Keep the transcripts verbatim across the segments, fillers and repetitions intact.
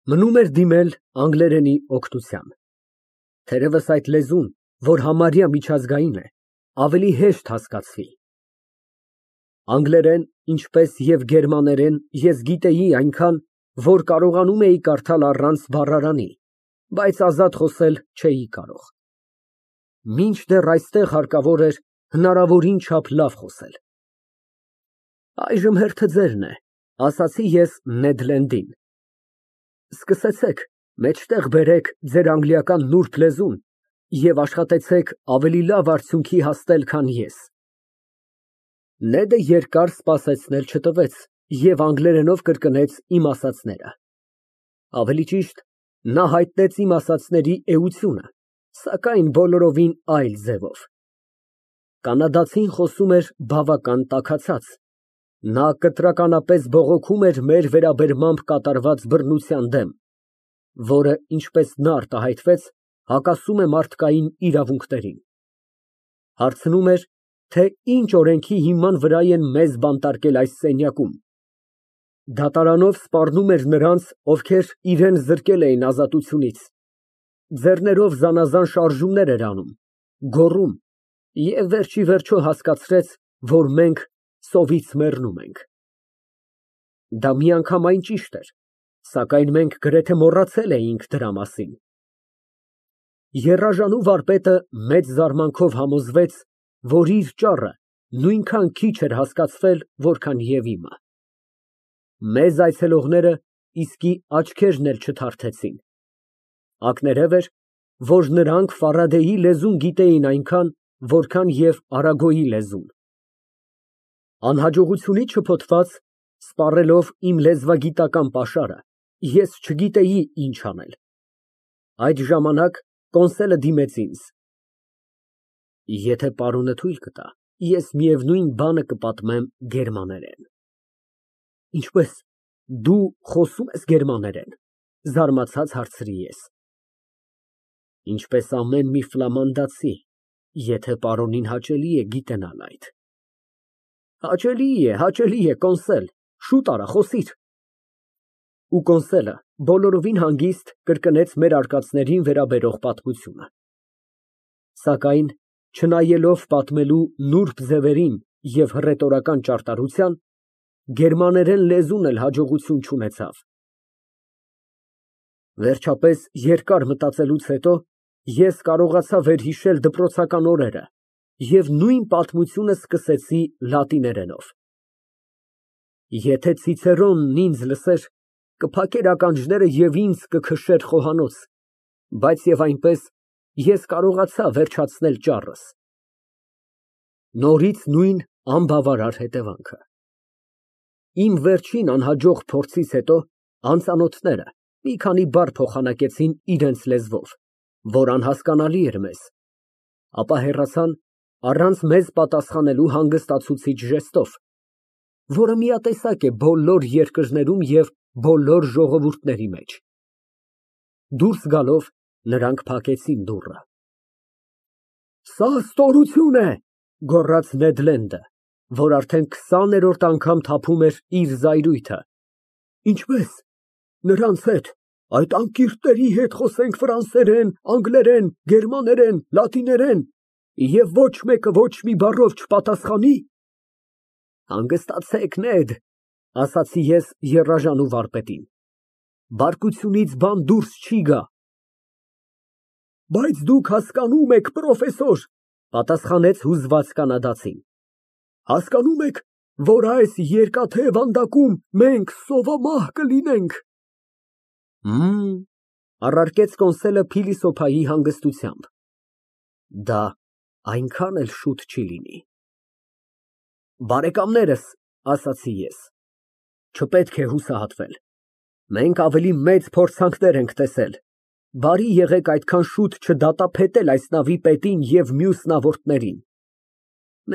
Մնում էր դիմել անգլերենի օգնության։ Թերևս այդ լեզուն, որ համարյա միջազգային է, ավելի հեշտ հասկացվի։ Անգլերեն, ինչպես և գերմաներեն ես գիտեի այնքան, որ կարողանում էի կարդալ առանց բառարանի, բայց ազատ խոսել չէի կարող։ Մինչդեռ այստեղ հարկավոր էր հնարավորին չափ լավ խոսել։ Այժմ հերթը ձերն է, ասացի ես Նեդ Լենդին։ Սկսեցեք, մեջտեղ բերեք ձեր անգլիական նուրբ լեզուն և աշխատեցեք ավելի լավ արդյունքի հասնել, քան ես։ Նեդը երկար սպասեցնել չտվեց և անգլերենով կրկնեց իմ ասածները։ Ավելի ճիշտ, նա հայտնեց իմ ասածների էությունը, սակայն բոլորովին այլ ձևով։ Կանադացին խոսում էր բավական տաքացած, նա կտրականապես բողոքում էր մեր վերաբերմամբ կատարված բռնության դեմ, որը, ինչպես նա արտահայտվեց, հակասում է մարդկային իրավունքներին։ Հարցնում էր, թե ինչ օրենքի հիման վրա են մեզ բանտարկել այս սենյակում։ Դատարանով սպառնում էր նրանց, ովքեր իրան զրկել էին ազատությունից, ձեռներով զանազան շարժումներ էր անում, գոռում և վերջ ի վերջո հասկացրեց, որ մենք սովից մեռնում ենք։ Դա միանգամայն ճիշտ էր, սակայն մենք գրեթե մոռացել էինք դրա մասին։ Եռաժանու վարպետը մեծ զարմանքով համոզվեց, որ իր ճառը նույնքան քիչ էր հասկացվել, որքան և իմը։ Մեզ այցելողները իսկի աչքերն էլ չթարթեցին։ Ակներև էր, որ նրանք Ֆարադեի լեզուն գիտեին այնքան, որքան և Արագոյի լեզուն։ Անհաջողությունից շփոթված, սպառելով իմ լեզվագիտական պաշարը, ես չգիտեի ինչ անել։ Այդ ժամանակ կոնսոլը դիմեց ինձ։ Եթե պարոնը թույլ կտա, ես միևնույն բանը կպատմեմ գերմաներեն։ Ինչպե՞ս, դու խոսո՞ւմ ես գերմաներեն, զարմացած հարցրի ես։ Ինչպես ամեն մի ֆլամանդացի, եթե պարոնին հաճելի է գիտենալ այդ։ Հաճելի է, հաճելի է, կոնսել, շուտ արա, խոսիր։ Ու կոնսոլը բոլորովին հանգիստ կրկնեց մեր արկածներին վերաբերող պատմությունը։ Սակայն, չնայելով պատմելու նուրբ ձևերին և հռետորական ճարտարության, գերմաներեն լեզուն էլ հաջողություն չունեցավ։ Վերջապես, երկար մտածելուց հետո, ես կարողացա վերհիշել դպրոցական օրերը և նույն պատմությունը սկսեցի լատիներենով։ Եթե Ցիցերոնն ինձ լսեր, կփակեր ականջները և ինձ կքշեր խոհանոց, բայց և այնպես, ես կարողացա վերջացնել ճառս։ Նորից նույն անբավարար հետևանքը։ Իմ վերջին անհաջող փորձից հետո անծանոթները մի քանի բառ փոխանակեցին իրենց լեզվով, որ անհասկանալի էր մեզ, ապա հեռացան առանց մեզ պատասխանելու հանգստացուցիչ ժեստով, որը միատեսակ է բոլոր երկրներում և բոլոր ժողովուրդների մեջ։ Դուրս գալով, նրանք փակեցին դուռը։ Սա ստորություն է, գոռաց Նեդ Լենդը, որ արդեն քսաներորդ անգամ թափում էր իր զայրույթը։ Ինչպե՞ս, նրանց հետ, այդ անկիրների հետ խոսենք ֆրանսերեն, անգլերեն, գերմաներեն, լատիներեն, և ոչ մեկը ոչ մի բառով չպատասխանի։ Հանգստացեք, Նեդ, ասացի ես եռաժանու վարպետին, բարկությունից բան դուրս չի գա։ Բայց դուք հասկանում եք, պրոֆեսոր, պատասխանեց հուզված կանադացին, հասկանում եք, որ այս երկաթե վանդակում մենք սովամահ կլինենք։ Հըմ, առարկեց կոնսոլը փիլիսոփայի հանգստությամբ, դա այնքան էլ շուտ չի լինի։ Բարեկամներս, ասացի ես, չպետք է հուսահատվել, մենք ավելի մեծ փորձանքներ ենք տեսել, բարի եղեք այդքան շուտ չդատապետել այս նավի պետին և մյուս նավորդներին,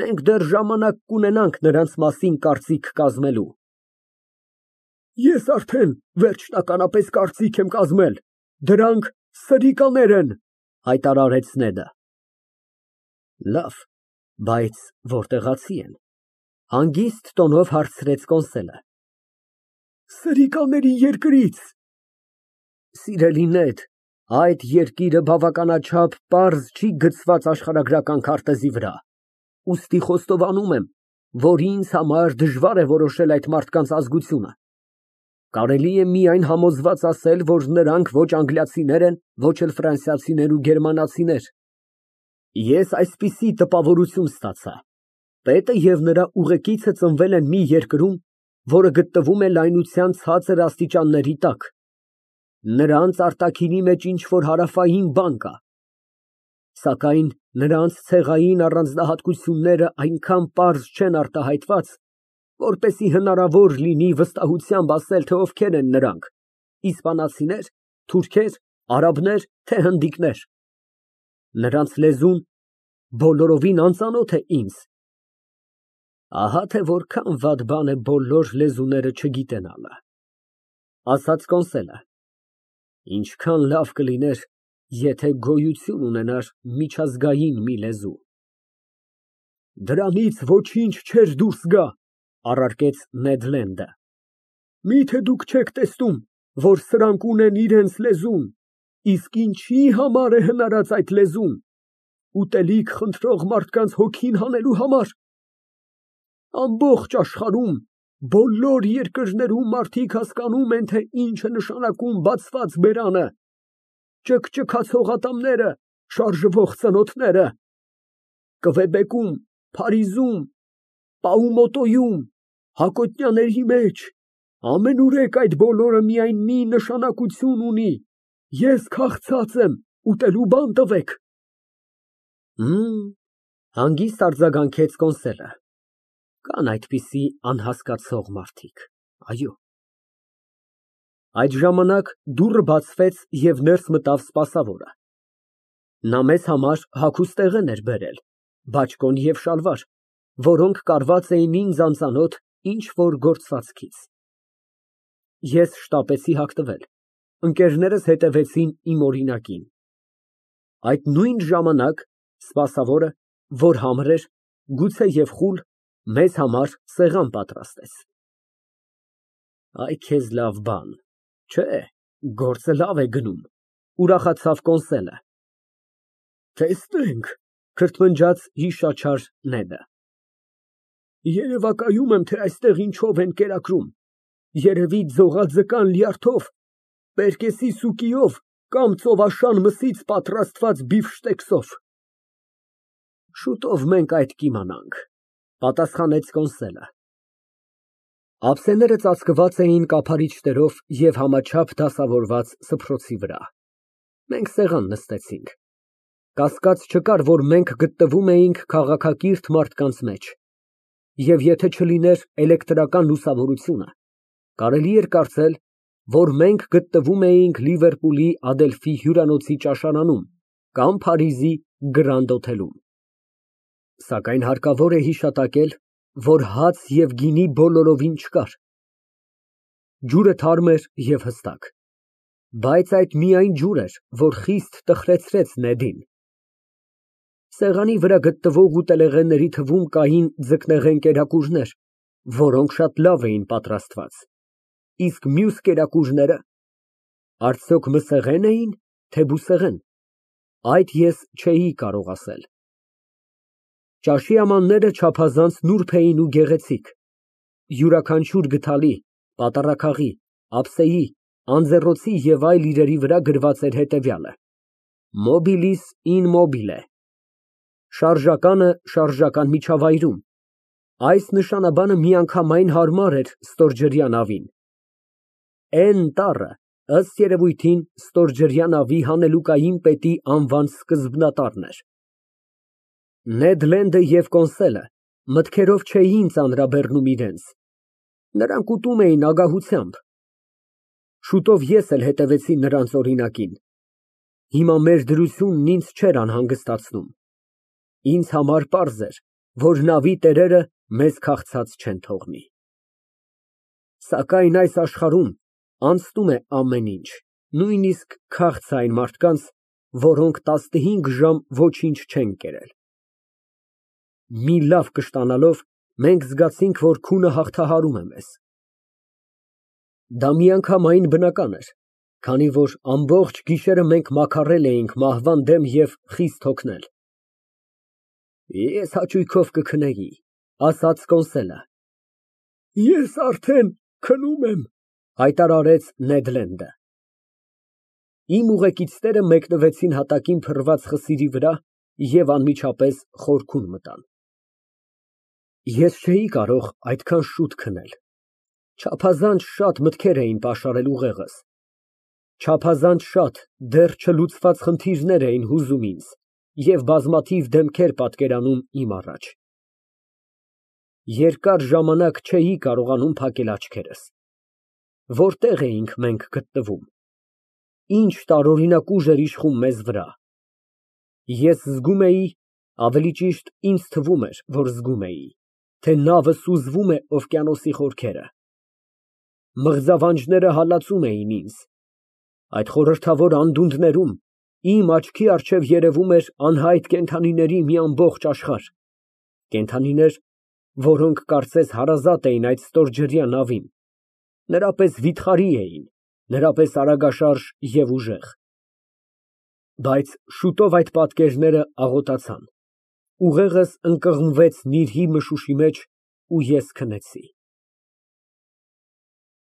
մենք դեռ ժամանակ կունենանք նրանց մասին կարծիք կազմելու։ Ես արդեն վերջնականապես կարծիք եմ կազմել, դրանք սրիկաներ են, հայտարարեց Նեդը։ Լավ, բայց որտեղացի են, հանգիստ տոնով հարցրեց կոնսոլը։ Սրիկաների երկրից։ Սիրելի Նեթ, այդ երկիրը բավականաչափ պարզ չի գծված աշխարհագրական քարտեզի վրա, ուստի խոստովանում եմ, որ ինձ համար դժվար է որոշել այդ մարդկանց ազգությունը։ Կարելի է միայն համոզված ասել, որ նրանք ոչ անգլիացիներ են, ոչ էլ ֆրանսիացիներ ու գերմանացիներ։ Ես այսպիսի տպավորություն ստացա. պետը և նրա ուղեկիցը ծնվել են մի երկրում, որը գտնվում է լայնության ցածր աստիճանների տակ։ Նրանց արտաքինի մեջ ինչ֊որ հարավային բան կա, սակայն նրանց ցեղային առանձնահատկությունները այնքան պարզ չեն արտահայտված, որպեսզի հնարավոր լինի վստահությամբ ասել, թե ովքեր են նրանք՝ իսպանացինե՞ր, թուրքե՞ր, արաբնե՞ր, թե հնդիկնե՞ր։ Նրանց լեզուն բոլորովին անծանոթ է ինձ։ Ահա թե որքան վատ բան է բոլոր լեզուները չգիտենալը, ասաց Կոնսելը։ Ինչքան լավ կլիներ, եթե գոյություն ունենար միջազգային մի լեզու։ Դրանից ոչինչ չէր դուրս գա, առարկեց Նեդ Լենդը։ Միթե դուք չեք տեսնում, որ սրանք ունեն իրենց լեզուն, իսկ ինչի համար է հնարած այդ լեզուն, ուտելիք խնդրող մարդկանց հոգին հանելու համար։ Ամբողջ աշխարհում, բոլոր երկրներում մարդիկ հասկանում են, թե ինչ է նշանակում բացված բերանը, ճկճկացող ատամները, շարժվող ծնոտները։ Կվեբեկում, Փարիզում, Պաումոտոյում, Հակոտնյանների մեջ, ամենուրեք այդ բոլորը միայն մի նշանակություն ունի. ես քաղցած եմ, ուտելու բան տվեք։ Հըմ, հանգիստ արձագանքեց Կոնսելը։ Կան այդպիսի անհասկացող մարդիկ, այո։ Այդ ժամանակ դուռը բացվեց և ներս մտավ սպասավորը։ Նա մեզ համար հագուստ տեղեն էր բերել, բաճկոն և շալվար, որոնք կարված էին ինձ անծանոթ ինչ֊որ գործվածքից։ Ես շտապեցի հագնվել, ընկերներս հետևեցին իմ օրինակին։ Այդ նույն ժամանակ սպասավորը, որ համր էր, գուցե և խուլ, մեզ համար սեղան պատրաստեց։ Այ քեզ լավ բան, չէ՞, գործը լավ է գնում, ուրախացավ Կոնսելը։ Տեսնենք, քրթմնջաց հիշաչար Նեդը։ Երևակայում եմ, թե այստեղ ինչով են կերակրում, երևի ձողաձկան լյարդով, պերկեսի սուկիով կամ ծովաշան մսից պատրաստված բիֆշտեքսով։ Շուտով մենք այդ կիմանանք, պատասխանեց Կոնսելը։ Ափսեները ծածկված էին կափարիչներով և համաչափ դասավորված սփռոցի վրա։ Մենք սեղան նստեցինք։ Կասկած չկար, որ մենք գտնվում էինք քաղաքակիրթ մարդկանց մեջ, և եթե չլիներ էլեկտրական լուսավորությունը, կարելի էր կարծել, որ մենք գտնվում էինք Լիվերպուլի Ադելֆի հյուրանոցի ճաշարանում կամ Փարիզի Գրանդ օթելում։ Սակայն հարկավոր է հիշատակել, որ հաց և գինի բոլորովին չկար։ Ջուրը թարմ էր և հստակ, բայց այդ միայն ջուր էր, որ խիստ տխրեցրեց Նեդին։ Սեղանի վրա գտնվող ուտելեղենների թվում կային ձկնեղեն կերակուրներ, որոնք շատ լավ էին պատրաստված, իսկ մյուս կերակուրները, արդյոք մսեղե՞ն էին, թե բուսեղեն, այդ ես չէի կարող ասել։ Ճաշի ամանները չափազանց նուրբ էին ու գեղեցիկ, յուրաքանչյուր գդալի, պատառաքաղի, ափսեի, անձեռոցի և այլ իրերի վրա գրված էր հետևյալը. Mobilis in mobile, շարժականը շարժական միջավայրում։ Այս նշանաբանը միանգամայն հարմար էր ստորջրյա նավին։ Էն տառը, ըստ երևույթին, ստորջրյա նավի հանելուկային պետի անվան սկզբնատառն էր։ Նեդ Լենդը և Կոնսելը մտքերով չէին ծանրաբեռնում իրենց, նրանք ուտում էին ագահությամբ։ Շուտով ես էլ հետևեցի նրանց օրինակին։ Հիմա մեր դրությունն ինձ չէր անհանգստացնում։ Ինձ համար պարզ էր, որ նավի տերերը մեզ քաղցած չեն թողնի։ Սակայն այս աշխարհում անցնում է ամեն ինչ, նույնիսկ քաղցը այն մարդկանց, որոնք տասնհինգ ժամ ոչինչ չեն կերել։ Մի լավ կշտանալով մենք զգացինք, որ քունը հաղթահարում է մեզ։ Դա միանգամայն բնական էր, Քանի որ ամբողջ գիշերը մենք մաքարել էինք մահվան դեմ և խիստ հոգնել։ Ես հաճույքով կքնեի, ասաց Կոնսելը։ Ես արդեն քնում եմ, հայտարարեց Նեդ Լենդը։ Իմ ուղեկիցները մեկնվեցին հատակին փռված խսիրի վրա և անմիջապես խորքում մտան։ Ես չէի կարող այդքան շուտ քնել։ Չափազանց շատ մտքեր էին պաշարել ուղեղս, չափազանց շատ դեռ չլուծված խնդիրներ էին հուզում ինձ և բազմաթիվ դեմքեր պատկերանում իմ առաջ։ Երկար ժամանակ չէի կարողանում փակել աչքերս։ Որտե՞ղ էինք մենք գտնվում, ինչ տարօրինակ ուժ էր իշխում մեզ վրա։ Ես զգում էի, ավելի ճիշտ ինձ թվում էր, որ զգում էի, թե նավը սուզվում է օվկիանոսի խորքերը։ Մղձավանջները հալածում էին ինձ։ Այդ խորհրդավոր անդունդներում իմ աչքի առջև երևում էր անհայտ կենդանիների մի ամբողջ աշխարհ, կենդանիներ, որոնք կարծես հարազատ էին այդ ստորջրյա նավին, նրա պես վիթխարի էին, նրա պես արագաշարժ և ուժեղ։ Բայց շուտով այդ պատկերները աղոտացան, ուղեղս ընկղմվեց նիրհի մշուշի մեջ, ու ես քնեցի։